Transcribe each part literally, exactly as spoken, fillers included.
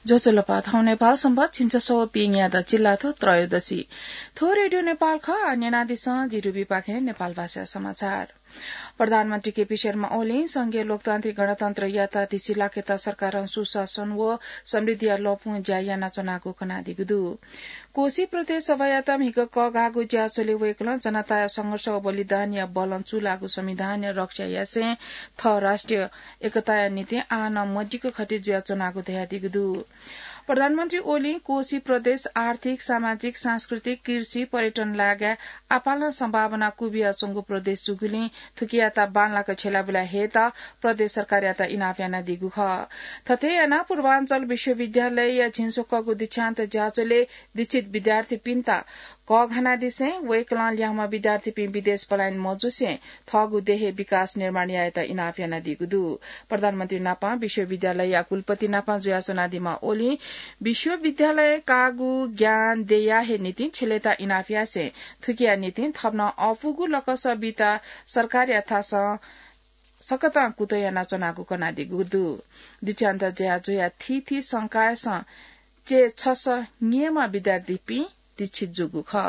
ज्वजलपा, थौं नेपाल संवत् झिंछसः व पीन्यादँ चिल्लाथ्व त्रयोदशी। थ्व रेडियो नेपाल खः, आ न्यनादिसँ जि रुबीपाखें नेपाल भाषा समाचार। प्रधानमन्त्री केपी शर्मा ओलीं संघीय लोकतान्त्रिक गणतन्त्र यात्रा दिसि लाकेत सरकारं सुशासन व समृद्धिया लँपुं ज्या यानाच्वनागु कनादीगु दु। कोशी प्रदेश सभायात म्हिगः कःघाःगु ज्याझ्वलय् वय्कलं जनताया संघर्ष व बलिदानया बलं चूलाःगु संविधानया रक्षा यासें थः राष्ट्रिय एकताया निंतिं आः नं मदिक्क खति जुयाच्वनागु धयादीगु दु। प्रधानमन्त्री ओलीं कोशी प्रदेश आर्थिक, सामाजिक, सांस्कृतिक, कृषि, पर्यटन लागाय् आपालं सम्भावना क्वबियाच्वंगु प्रदेश जूगुलिं थुकियात बांलाक छ्यलाबुला हयेत प्रदेश सरकारयात इनाप यानादीगु खः। थथे यानाः पूर्वाञ्चल विश्वविद्यालयया झिंस्वक्वःगु दीक्षान्त ज्याझ्वलय् दीक्षित विद्यार्थीपिन्त कःघानादिसें वय्कलं ल्याःम्ह विद्यार्थीपिं विदेश पलायन मजुसें थःगु देशय् विकास निर्माण यायेत इनाप यानादीगु दु। प्रधानमन्त्री नापं विश्वविद्यालयया कुलपति नापं जुयाच्वनादीम्ह ओलीं विश्वविद्यालयं काःगु ज्ञान देय्या हे निंतिं छ्यलेत इनाप यासें थुकिया निंतिं थप नं अःपुगु लकस बीत सरकारया थासं सकतां कुतः यानाच्वनागु कनादीगु दु। दीक्षान्त ज्याझ्वःया थीथी संकायसं चय्छसः न्येम्ह विद्यार्थीपिं दीक्षित जूगु खः।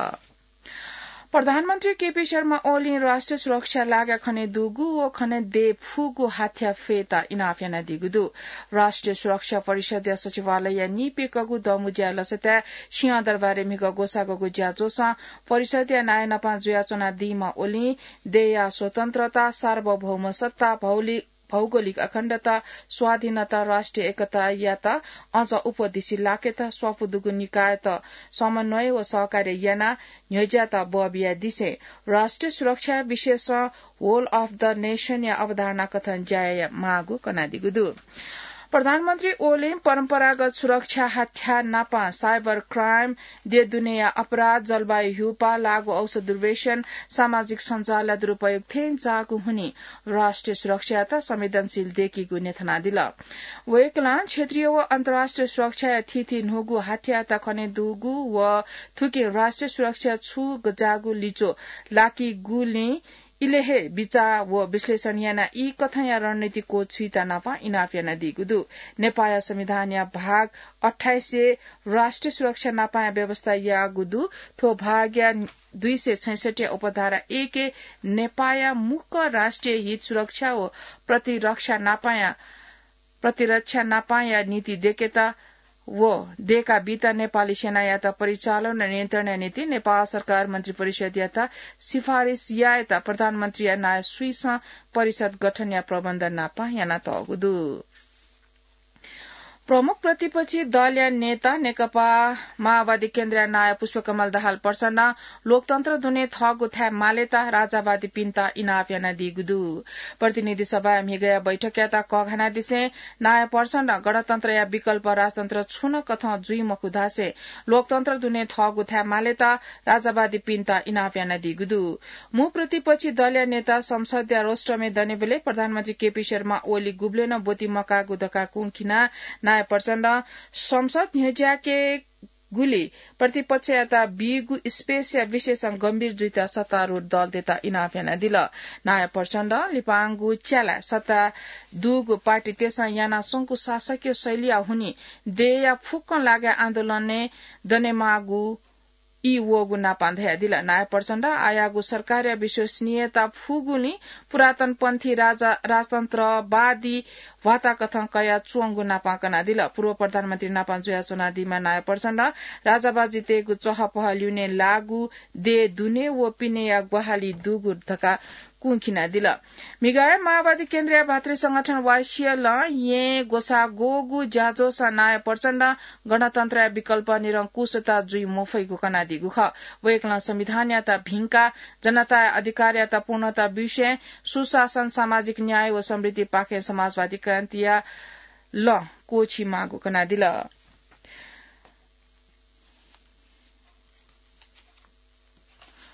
प्रधानमन्त्री केपी शर्मा ओलीं राष्ट्रिय सुरक्षा लागाय् खने दुगु व खने दये फुगु हाथ्या फयेत इनाप यानादीगु दु। राष्ट्रिय सुरक्षा परिषदया सचिवालयया निइप्यंकःगु दमुज्याय् लसताय् सिंहदरबारय् म्हिगः ग्वसाः ग्वःगु ज्याझ्वलय् परिषदया नायः नापं जुयाच्वनादीम्ह ओलीं देय्या स्वतन्त्रता, सार्वभौम सत्ता, भौलि-, भौगोलिक अखण्डता, स्वाधीनता, राष्ट्रिय एकतायात अझ अप्वः दिसि लाकेत स्वापू दुगु निकायत समन्वय व सहकार्य यानाः न्ह्यज्यात बः बियादिसें राष्ट्रिय सुरक्षा विषयसं Whole of the Nation या अवधारणा कथं ज्या यायेमाःगु कनादीगु दु। प्रधानमन्त्री ओलीं परम्परागत सुरक्षा हाथ्या नापं cyber crime, देय् दुनेया अपराध, जलवायु ह्यूपाः, लागू औषध दुर्व्यसन, सामाजिक सञ्जालया दुरुपयोग थेंज्याःगु हुनिं राष्ट्रिय सुरक्षायात संवेदनशील दयेकीगु न्ह्यथनादिल। वय्कलं क्षेत्रीय व अन्तर्राष्ट्रिय सुरक्षाया थीथी न्हूगु हाथ्यायात खने दुगु व थुकिं राष्ट्रिय सुरक्षा छु गज्याःगु लिच्वः लाकीगुलिं इलय् हे बिचाः व विश्लेषण यानाः ई कथंया रणनीति क्वछुइत नापं इनाप यानादीगु दु। नेपाःया संविधानया भाग अट्ठाइसय् राष्ट्रिय सुरक्षा नापंया व्यवस्था याःगु दु। थ्व भागया दुई सय छैसठ्ठीया उपधारा एकय् नेपाःया मुख्य राष्ट्रिय हित सुरक्षा व प्रतिरक्षा नापंया, प्रतिरक्षा नापंया नीति दयेकेत व दयेका बीत नेपाली सेनायात परिचालन व नियन्त्रणया निंतिं नेपाल सरकार मन्त्री परिषदयात सिफारिस यायेत प्रधानमन्त्रीया नायः स्वीसं परिषद गठनया प्रबन्ध नापं यानातःगु दु। प्रमुख प्रतिपक्षी दलया नेता नेकपा माओवादी केन्द्रया नायः पुष्पकमल दाहाल प्रचण्डं लोकतन्त्र दुने थःगु थाय् मालेत राजावादीपिन्त इनाप यानादीगु दु। प्रतिनिधि सभाया म्हिगःया बैठकयात कःघानादिसें नायः प्रचण्डं गणतन्त्रया विकल्प राजतन्त्र छुं नं कथं जुइ मखु धासें लोकतन्त्र दुने थःगु थाय् मालेत राजावादीपिन्त इनाप यानादीगु दु। मू प्रतिपक्षी दलया नेता संसदया रोस्ट्रमय् दनेबलय् प्रधानमन्त्री केपी शर्मा ओली गुबलें नं ब्वति मकाःगु धकाः कुंखिनाः नायः प्रचण्डं संसद न्ह्यज्याके गुलि प्रतिपक्षयात बीगु space या विषयसं गम्भीर जुइत सत्तारूढ दलतय्त इनाप यानादिल। नायः प्रचण्डं लिपांगु च्यालाय् सत्ताय् दुगु पार्टीतय्सं यानाच्वंगु शासकीय शैलीया हुनिं देय्या फुक्कं लागाय् आन्दोलनय् दनेमाःगु ई वःगु नापं धयादिल। नायः प्रचण्डं आःयागु सरकारया विश्वसनीयता फुगुलिं पुरातनपन्थी राजा-, राजतन्त्रवादी भ्वाता कथं कयाच्वंगु नापं कनादिल। पूर्व प्रधानमन्त्री नापं जुयाच्वनादीम्ह नायः प्रचण्डं राजावादीतय्गु चहपह ल्यूने लाःगु देय् दुने व पिनेया ग्वाहालि दुगु धकाः कुंखिनादिल। म्हिगःया माओवादी केन्द्रया भातृ संगठन वाइसिएलं येँ ग्वसाः ग्वःगु ज्याझ्वलय् नायः प्रचण्डं गणतन्त्रया विकल्प निरंकुशता जुइ मफइगु कनादीगु खः। वय्कलं संविधानयात भिंकाः जनताया अधिकारयात पूर्णता बिसें सुशासन, सामाजिक न्याय व समृद्धिपाखें समाजवादी क्रान्तिया लँ क्वःछी माःगु कनादिल।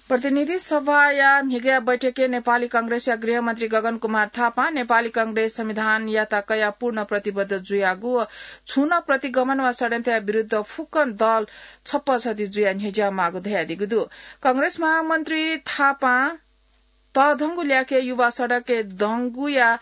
प्रतिनिधि सभाया म्हिगःया बैठकय् नेपाली कांग्रेसया गृहमन्त्री गगन कुमार थापां नेपाली कांग्रेस संविधानयात कयाः पूर्ण प्रतिबद्ध जुयागु व छुं नं प्रतिगमन वा षड्यन्त्रया विरुद्ध फुक्कं दल छप्पछति जुयाः न्ह्यज्याःमाःगु धयादीगु दु। कांग्रेस महामन्त्री थापां तःधंगु ल्याखय् युवा सडकय् दंगुया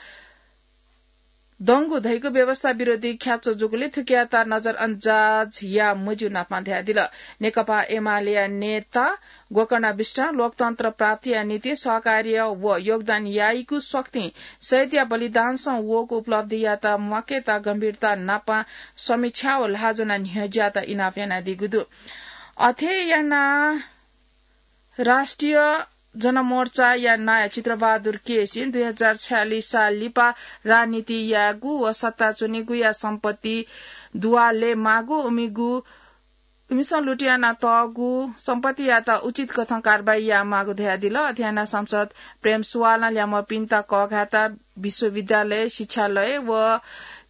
दंगु धइगु व्यवस्था विरोधी ख्याच्चो जूगुलिं थुकियात नजरअन्दाज याये मज्यू नापं धयादिल। नेकपा एमालेया नेता गोकर्णा विष्ट लोकतन्त्र प्राप्तिया निंतिं सहकार्य व योगदान याइगु शक्तिं शहीदया बलिदानसं वःगु उपलब्धियात म्वाकेत गम्भीरता नापं समीक्षा व ल्हाः ज्वनाः न्ह्यज्यात इनाप यानादीगु दु। अथे यानाः राष्ट्रिय जनमोर्चाया नायः चित्रबहादुर केसीं दुई हजार छयालिस साल लिपा राजनीति यायेगु व सत्ता च्वनीगुया सम्पत्ति दुवाले माःगु उमिगु इमिसं लुट यानातःगु सम्पत्तियात उचित कथं कारवाही यायेमाःगु धयादिल। अथे यानाः सांसद प्रेम सुवालं ल्याम्हपिन्त कःघाःत विश्वविद्यालय, शिक्षालय व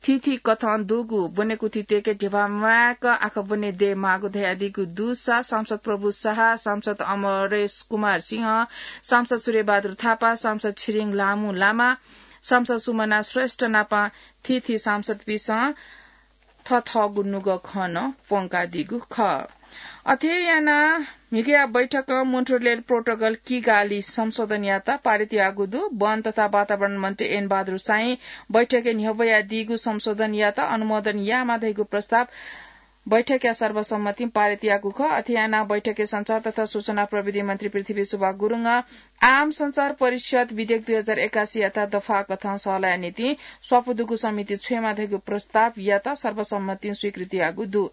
थीथी कथं दुगु ब्वनेकुथि तय्के धिबा म्वायेक आखः ब्वने दयेमाःगु धयादीगु दुसा सांसद प्रभु शाह, सांसद अमरेश कुमार सिंह, सांसद सूर्यबहादुर थापा, सांसद छिरिङ ल्हामु लामा, सांसद सुमना श्रेष्ठ नापं थीथी सांसदपिन्सं थःथःगु नुगः खँ नं प्वंकादीगु खः। अथे यानाः म्हिगःया बैठकं मोन्ट्रियल प्रोटोकल किगाली संशोधनयात पारित याःगु दु। वन तथा वातावरण मन्त्री एन बहादुर साईं बैठकय् न्ह्यब्वयादीगु संशोधनयात अनुमोदन यायेमाः धइगु प्रस्ताव बैठकया सर्वसम्मतिं पारित याःगु खः। अथे यानाः बैठकय् सञ्चार तथा सूचना प्रविधि मन्त्री पृथ्वी सुब्बा गुरुङं आम सञ्चार परिषद विधेयक दुई हजार एकासीयात दफा कथं सहलया निंतिं स्वापू दुगु समिति छ्वयेमाः धइगु प्रस्तावयात सर्वसम्मतिं स्वीकृति याःगु दु।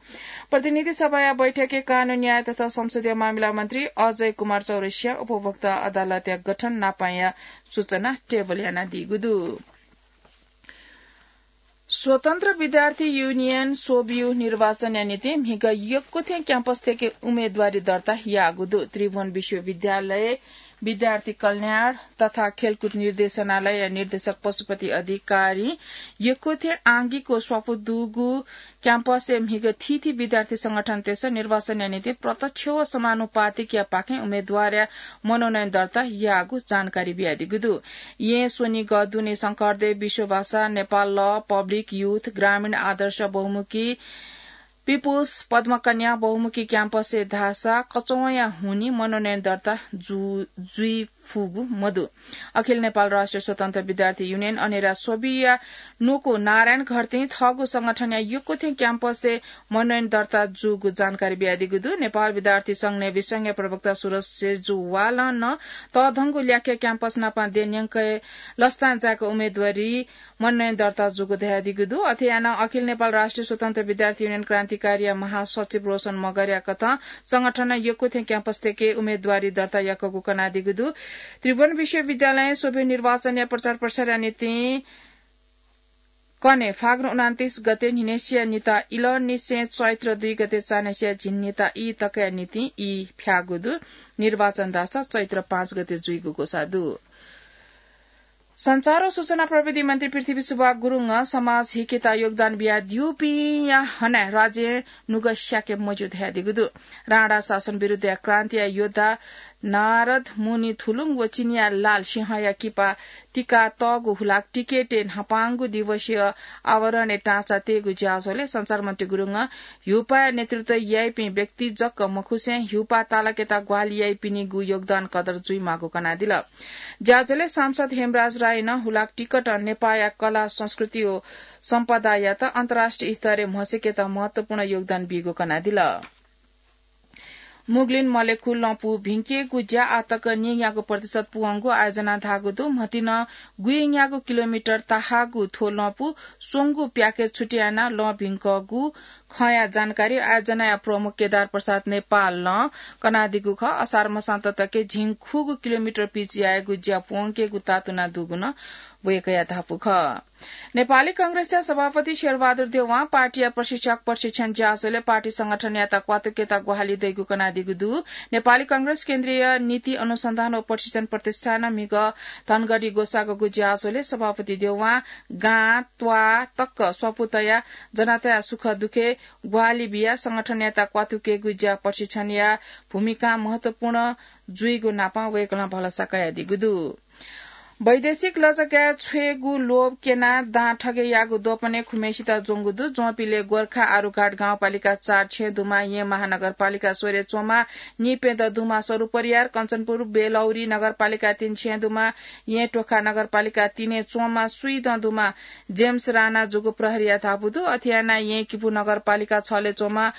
प्रतिनिधि सभाया बैठकय् कानून, न्याय तथा संसदीय मामिला मन्त्री अजय कुमार चौरसियां उपभोक्ता अदालतया गठन नापंया सूचना टेबल यानादीगु दु। स्वतन्त्र विद्यार्थी युनियन, स्ववियु, निर्वाचनया निंतिं म्हिगः यक्व थें क्याम्पस थेके उम्मेदवारी दर्ता याःगु दु। त्रिभुवन विश्वविद्यालय विद्यार्थी कल्याण तथा खेलकुद निर्देशनालयया निर्देशक पशुपति अधिकारीं यक्व थें आंगिक व स्वापू दुगु क्याम्पसय् म्हिगः थीथी विद्यार्थी संगठनतय्सं निर्वाचनया निंतिं प्रत्यक्ष व समानुपातिकया पाखें उम्मेदवारया मनोनयन दर्ता याःगु जानकारी बियादीगु दु। येँ स्वनिगः दुने शंकरदेव, विश्वभाषा, नेपाल लः, पब्लिक युथ, ग्रामीण आदर्श बहुमुखी, पिपुल्स, पद्मकन्या बहुमुखी क्याम्पसय् धाःसा कचवंया हुनिं मनोनयन दर्ता जु-, जुइ फुगु मदु। अखिल नेपाल राष्ट्रिय स्वतन्त्र विद्यार्थी युनियन अनेरा स्वविया नुगः नारायण घरतीं थःगु संगठनया यक्व थें क्याम्पसय् मनोनयन दर्ता जूगु जानकारी बियादीगु दु। नेपाल विद्यार्थी संघ नेविसंघया प्रवक्ता सुरज सेजुवालं नं तःधंगु ल्याखया क्याम्पस नापं देय् न्यंकय् लसतां जाय्क उम्मेदवारी मनोनयन दर्ता जूगु धयादीगु दु। अथे यानाः अखिल नेपाल राष्ट्रिय स्वतन्त्र विद्यार्थी युनियन क्रान्तिकारीया महासचिव रोशन मगरया कथं संगठनं यक्व थें क्याम्पस थेके उम्मेदवारी दर्ता याकूगु कनादीगु दु। त्रिभुवन विश्वविद्यालयं स्ववियु निर्वाचनया प्रचार प्रसारया निंतिं कन्हय् फागुन उनान्तिस गते न्हिनय्सिया निता इलंनिसें चैत्र दुई गते चान्हय्सिया झिंनिता ई तकया निंतिं ई फ्याःगु दु। निर्वाचन धाःसा चैत्र पाँच गते जुइगु ग्वसाः दु। सञ्चार व सूचना प्रविधि मन्त्री पृथ्वी सुब्बा गुरुङं समाज हिकेत योगदान बियादीपिंया हनाः राज्यं नुगः स्याके मज्यू धयादीगु दु। राणा शासन विरुद्धया क्रान्तिया योद्धा नारद मुनि थुलुङ व चिनियाँ लाल सिंहया किपा तिकातःगु हुलाक टिकटय् न्हापांगु दिवसीय आवरणय् टाँचा तयेगु ज्याझ्वलय् सञ्चार मन्त्री गुरुङं ह्युपाया नेतृत्व याइपिं व्यक्ति जक मखुसें ह्युपा तालाकेत ग्वाहालि याइपिनिगु योगदान कदर जुइमाःगु कनादिल। ज्याझ्वलय् सांसद हेमराज राईं नं हुलाक टिकटं नेपाःया कला, संस्कृति व सम्पदायात अन्तर्राष्ट्रिय स्तरय् म्हसीकेत महत्वपूर्ण योगदान बीगु कनादिल। मुग्लिन मलेखु लँपु भिंकेगु ज्या आःतक नीन्यागू प्रतिशत पूवंगु आयोजनां धाःगु दु। म्हतिनं गुइन्यागू किलोमिटर ताहाःगु थ्व लँपु स्वंगू प्याकेज छुट्यानाः लँ भिंकूगु खँया जानकारी आयोजनाया प्रमुख केदार प्रसाद नेपालं कनादीगु खः। असार मसांत तक झिंखुगू किलोमिटर पिच यायेगु ज्या पूवंकेगु तातुना दुगु नं वय्कःया धापू खः। नेपाली कांग्रेसया सभापति शेरबहादुर देउवां पार्टीया प्रशिक्षक प्रशिक्षण ज्याझ्वलय् पार्टी संगठनयात क्वातुकेत ग्वाहालि दइगु कनादीगु दु। नेपाली कांग्रेस केन्द्रीय नीति अनुसन्धान व प्रशिक्षण प्रतिष्ठानं म्हिगः धनगढी ग्वसाःगु ज्याझ्वलय् सभापति देउवां गां, त्वाः तक स्वापू तयाः जनताया सुख दुःखय् ग्वाहालि बियाः संगठनयात क्वातुकेगु ज्या प्रशिक्षणया भूमिकां महत्वपूर्ण जुइगु नापं वय्कलं भलसा कयादीगु दु। वैदेशिक लजगाय् छ्वयेगु लोभ क्यनाः दां ठगय् याःगु द्वपनय् खुम्हय्सित ज्वंगु दु। ज्वंपिले गोर्खा आरुघाट गाउँपालिका चार छेँ दुमा येँ महानगरपालिका स्वरे च्वंमा निप्यदँ दुमा सरू परियार, कञ्चनपुर बेलौरी नगरपालिका तीन छेँ दुमा येँ टोखा नगरपालिका तीनय् च्वंमा स्वीदँ दुमा जेम्स राणा जूगु प्रहरीया धापू दु। अथे यानाः येँ किपू नगरपालिका छले च्वंमा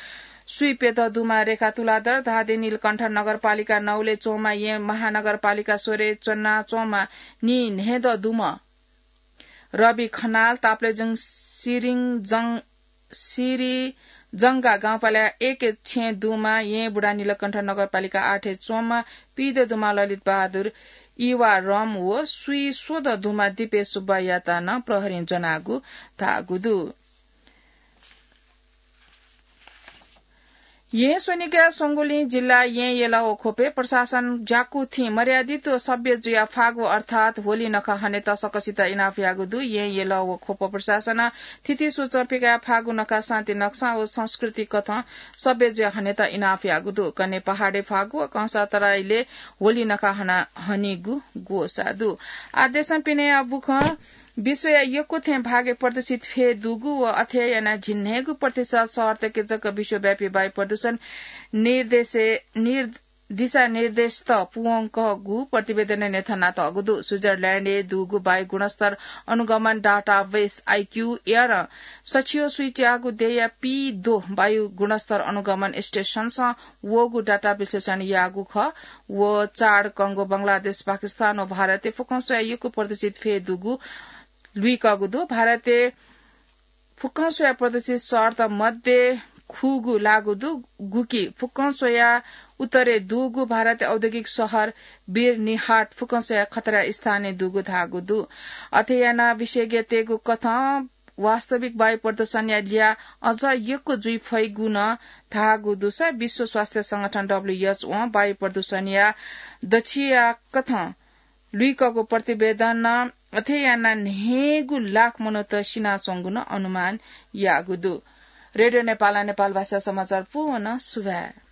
स्वीप्यदँ दुमा रेखा तुलाधर, धादिङ नीलकण्ठ नगरपालिका नौले च्वंमा येँ महानगरपालिका स्वरे च्वना च्वंमा नीन्हय्दँ दुम्ह रवि खनाल, ताप्लेजुङ सिरिङ जङ सिरिजंगा गाउँपालिका एक छेँ दुमा येँ बुढा नीलकण्ठ नगरपालिका आठय् च्वंमा पीदँ दुमा ललित बहादुर इवा रम व स्वीस्वदँ दुमा दिपेश सुब्बायात नं प्रहरीं ज्वनागु धाःगु दु। येँ स्वनिगः स्वंगुलिं जिल्ला येँ यल व ख्वपय् प्रशासन ज्याकू थिं मर्यादित व सभ्य जुया फागु अर्थात् होली नखः हनेत सकसित इनाप याःगु दु। येँ यल व ख्वप प्रशासनं थिति सूचं पिकाः फागु नखः शान्ति नकसां व संस्कृति कथं सभ्य जुया हनेत इनाप याःगु दु। कन्हय् पहाडय् फागु व कंसातराईले होली नखः हना हनीगु ग्वसाः दु। आदेशं पिने अबुखं विश्वया यक्व थें भागय् प्रदूषित फय् दुगु व अथे यानाः झिंन्हय्गू प्रतिशत शहरतय्के जक विश्वव्यापी वायु प्रदूषण निर्देशे-, निर्-, दिशानिर्देशत पूवंकःगु प्रतिवेदनय् न्ह्यथनातःगु दु। स्विजरल्याण्डय् दुगु वायु गुणस्तर अनुगमन डाटाबेस आइक्यू एयरं सछियो स्वीच्याःगु देय्या पीद्वः वायु गुणस्तर अनुगमन स्टेशनसं वःगु डाटा विश्लेषण याःगु खः। व चाड कंगो बंगलादेश, पाकिस्तान व भारतय् फुक्कं स्वयाः यक्व प्रदूषित फय् दुगु लुइकःगु दु। भारतय् फुक्कं स्वयाः प्रदूषित शहरत मध्ये खुगू लाःगु दु, गुकी फुक्कं स्वयाः उत्तरय् दुगु भारतय् औद्योगिक शहर बिर्निहाट फुक्कं स्वयाः खतरा स्थानय् दुगु धाःगु दु। अथे यानाः विशेषज्ञतय्गु कथं वास्तविक वायु प्रदूषणया ल्याः अझ यक्व जुइ फइगु नं धाःगु दुसा विश्व स्वास्थ्य संगठन डब्ल्यूएचओं वायु प्रदूषणया दछिया कथं लुइकःगु प्रतिवेदनं अथे यानाः न्हय्गू लाख मनूत सिनाच्वंगु नं अनुमान याःगु दु। रेडियो नेपालं नेपाल भाषा समाचार पूवं सुभाय्।